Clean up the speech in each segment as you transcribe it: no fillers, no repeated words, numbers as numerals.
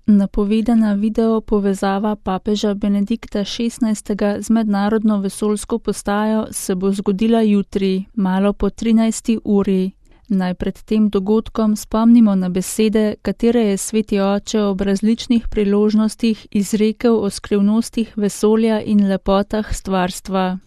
Napovedana video povezava papeža Benedikta XVI. Z mednarodno vesoljsko postajo se bo zgodila jutri, malo po 13. uri. Naj pred tem dogodkom spomnimo na besede, katere je Sveti Oče ob različnih priložnostih izrekel o skrivnostih vesolja in lepotah stvarstva.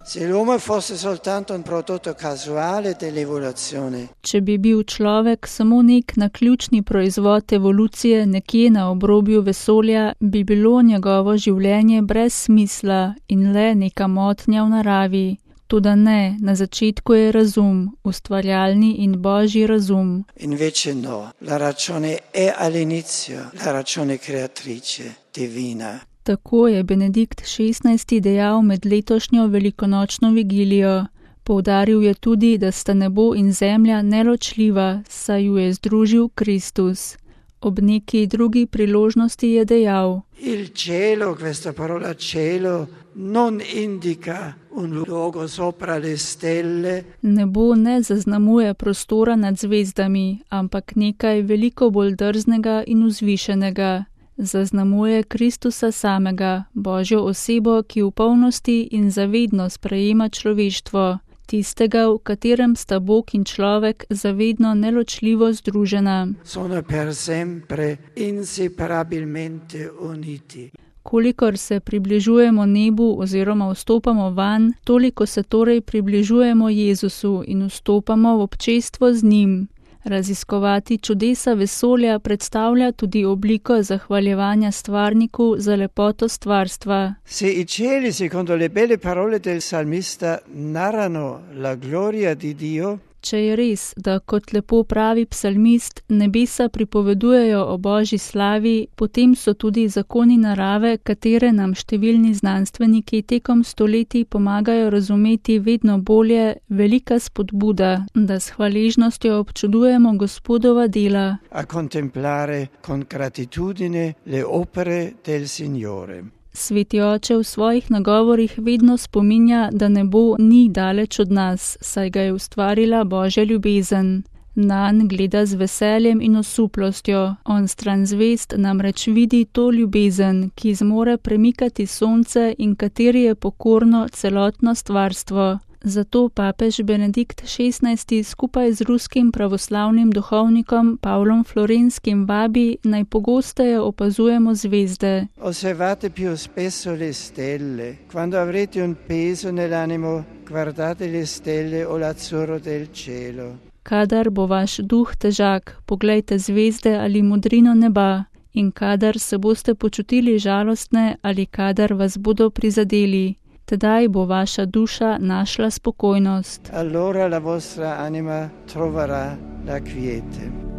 Če bi bil človek samo nek naključni proizvod evolucije nekje na obrobju vesolja, bi bilo njegovo življenje brez smisla in le neka motnja v naravi. Toda ne, na začetku je razum, ustvarjalni in božji razum. Invece no, la ragione è all'inizio, la ragione creatrice, divina. Tako je Benedikt XVI. Dejal med letošnjo velikonočno vigilijo. Poudaril je tudi, da sta nebo in zemlja neločljiva, saj ju je združil Kristus. Ob neki drugi priložnosti je dejal: Il cielo, questa parola cielo, non indica un luogo sopra le stelle. Nebo ne zaznamuje prostora nad zvezdami, ampak nekaj veliko bolj drznega in vzvišenega. Zaznamuje Kristusa samega, Božjo osebo, ki v polnosti in zavedno sprejema človeštvo, tistega, v katerem sta Bog in človek zavedno neločljivo združena. Sono per sempre inseparabilmente uniti. Kolikor se približujemo nebu oziroma vstopamo vanj, toliko se torej približujemo Jezusu in vstopamo v občestvo z njim. Raziskovati čudesa vesolja predstavlja tudi obliko zahvaljevanja stvarniku za lepoto stvarstva. Se i cieli, secondo le belle parole del salmista, narrano la gloria di Dio, Če je res, da kot lepo pravi psalmist, nebesa pripovedujejo o Božji slavi, potem so tudi zakoni narave, katere nam številni znanstveniki tekom stoletij pomagajo razumeti vedno bolje, velika spodbuda, da s hvaležnostjo občudujemo Gospodova dela. A contemplare con gratitudine le opere del Signore. Sveti Oče v svojih nagovorih vedno spominja, da nebo ni daleč od nas, saj ga je ustvarila Božja ljubezen. Nanj gleda z veseljem in osuplostjo, on stran zvezd namreč vidi to ljubezen, ki zmore premikati sonce in kateri je pokorno celotno stvarstvo. Zato papež Benedikt XVI. Skupaj z ruskim pravoslavnim duhovnikom Pavlom Florenskim vabi, naj pogosteje opazujemo zvezde. Osservate più spesso le stelle. Quando avrete un peso nell'animo, guardate le stelle o l'azzurro del cielo. Kadar bo vaš duh težak, poglejte zvezde ali modrino neba. In kadar se boste počutili žalostne ali kadar vas bodo prizadeli, tedaj bo vaša duša našla spokojnost. Allora la vostra anima troverà la quiete.